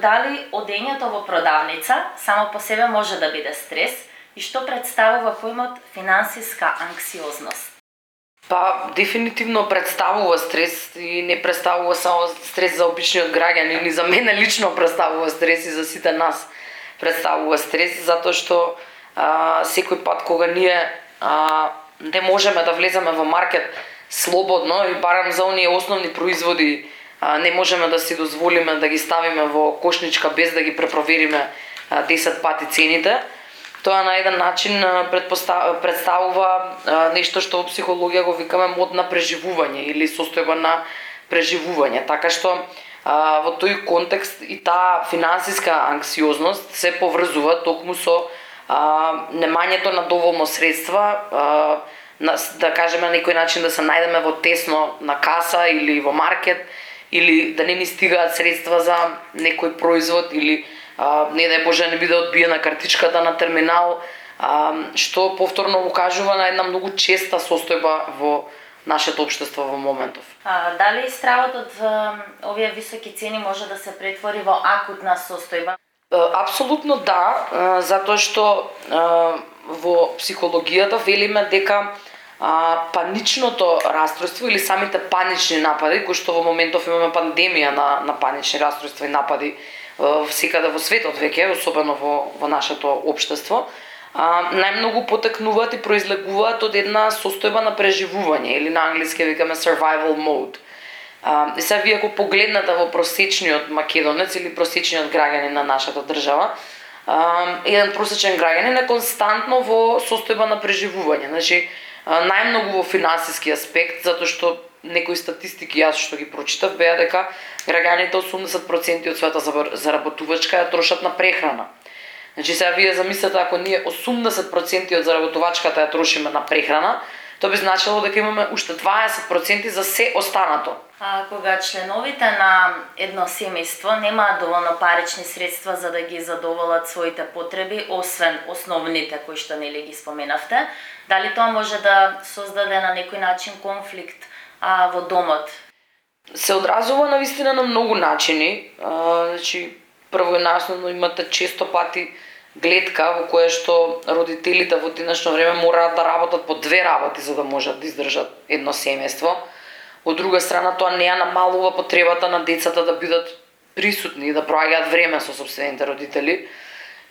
Дали одењето во продавница само по себе може да биде стрес и што представува поимот финансиска анксиозност? Дефинитивно представува стрес и не представува само стрес за обичниот граѓанин, и за мене лично представува стрес и за сите нас представува стрес, затоа што секој пат кога ние не можеме да влеземе во маркет слободно и барам за оние основни производи не можеме да си дозволиме да ги ставиме во кошничка без да ги препровериме 10 пати цените, тоа на еден начин представува нешто што во психологија го викаме мод на преживување или состојба на преживување. Така што во тој контекст и таа финансиска анксиозност се поврзува токму со немањето на доволно средства, да кажеме на некој начин да се најдеме во тесно на каса или во маркет, или да не ни стигаат средства за некој производ, или не дај Боже не биде одбиена картичката на терминал, што повторно укажува на една многу честа состојба во нашето општество во моментов. Дали стравот од овие високи цени може да се претвори во акутна состојба? Апсолутно да, затоа што во психологијата велиме дека паничното расстройство или самите панични напади, кои што во моментов имаме пандемија на панични расстройства и напади секаде во светот веќе, особено во нашето општество, најмногу потекнуваат и произлегуваат од една состојба на преживување или на англиски викаме survival mode. И сега вие ако погледнете во просечниот македонец или просечниот граѓанин на нашата држава, еден просечен граѓанин е константно во состојба на преживување. Значи, најмногу во финансиски аспект, затоа што некои статистики јас што ги прочитав беа дека граѓаните 80% од својата заработувачка ја трошат на прехрана. Значи сега вие замислете ако ние 80% од заработувачката ја трошиме на прехрана, тоа би значило дека имаме уште 20% за се останато. Кога членовите на едно семејство немаат доволно парични средства за да ги задоволат своите потреби, освен основните кои што нели ги споменавте, дали тоа може да создаде на некој начин конфликт во домот? Се одразува навистина на многу начини. Значи, прво и најосновно имате често пати гледка во која што родителите во денешно време мораат да работат по 2 работи за да можат да издржат едно семејство. Од друга страна, тоа не ја намалува потребата на децата да бидат присутни и да проаѓаат време со сопствените родители.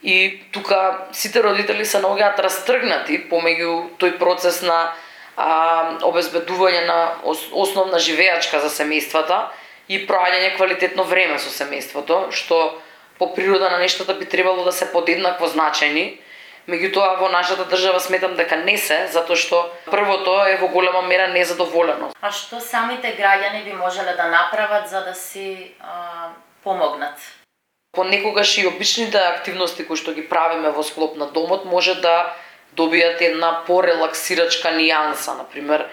И тука сите родители се наоѓаат растргнати помеѓу тој процес на обезбедување на основна живеачка за семејствата и проаѓање квалитетно време со семејството, што по природа на нештата би требало да се подеднакво значајни. Меѓутоа во нашата држава сметам дека не се, затоа што првото е во голема мера незадоволено. А што самите граѓани би можеле да направат за да си помогнат? Понекогаш и обичните активности кои што ги правиме во склоп на домот може да добијат една порелаксирачка нијанса, например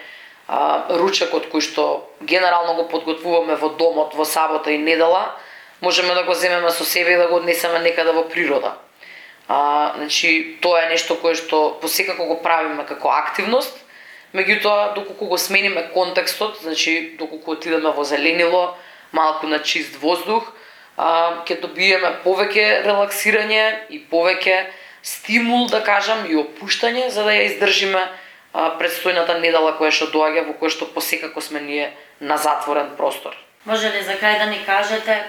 ручекот кој што генерално го подготвуваме во домот во сабота и недела, можеме да го земеме со себе и да го однесеме некаде во природа. Значи, тоа е нешто кое што посекако го правиме како активност, меѓутоа доколку го смениме контекстот, значи доколку отидеме во зеленило, малку на чист воздух, ќе добиеме повеќе релаксирање и повеќе стимул, да кажам, и опуштање за да ја издржиме предстојната недела која што доаѓа, во која што посекако сме ние на затворен простор. Може ли за крај да ни кажете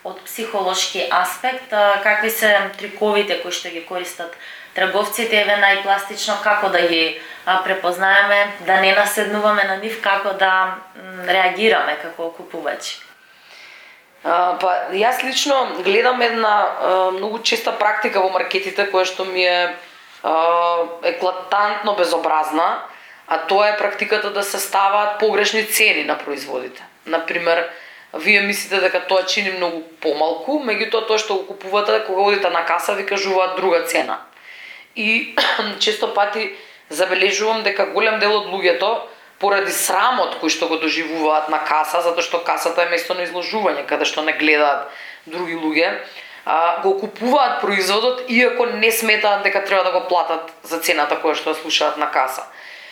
од психолошки аспект какви се триковите кои што ги користат трговците, еве најпластично како да ги препознаеме, да не наседнуваме на нив, како да реагираме како купувачи? Јас лично гледам една многу честа практика во маркетите која што ми е еклатантно безобразна, а тоа е практиката да се ставаат погрешни цени на производите. Например, вие мислите дека тоа чини многу помалку, меѓутоа тоа што го купувате кога одите на каса ви кажуваат друга цена. И често пати забележувам дека голем дел од луѓето поради срамот кој што го доживуваат на каса, затоа што касата е место на изложување каде што не гледаат други луѓе, го купуваат производот иако не сметаат дека треба да го платат за цената која што ја слушаат на каса.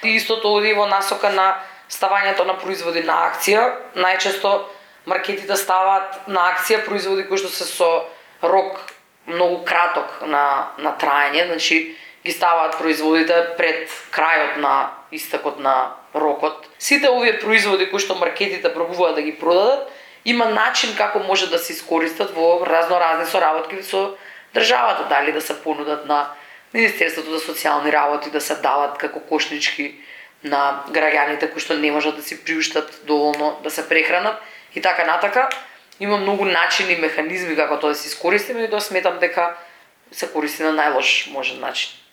И истото оди во насока на ставањето на производи на акција. Најчесто маркетите ставаат на акција производи кои што се со рок многу краток на траење, значи ги ставаат производите пред крајот на истекот на рокот. Сите овие производи кои што маркетите пробуваат да ги продадат, има начин како може да се искористат во разноразни соработки со државата, дали да се понудат на Министерството за социјални работи, да се дават како кошнички на граѓаните кои што не можат да си приуштат доволно да се прехранат и така натака. Има многу начини и механизми како тоа да се искористиме и да сметам дека се користи на најлош можен начин.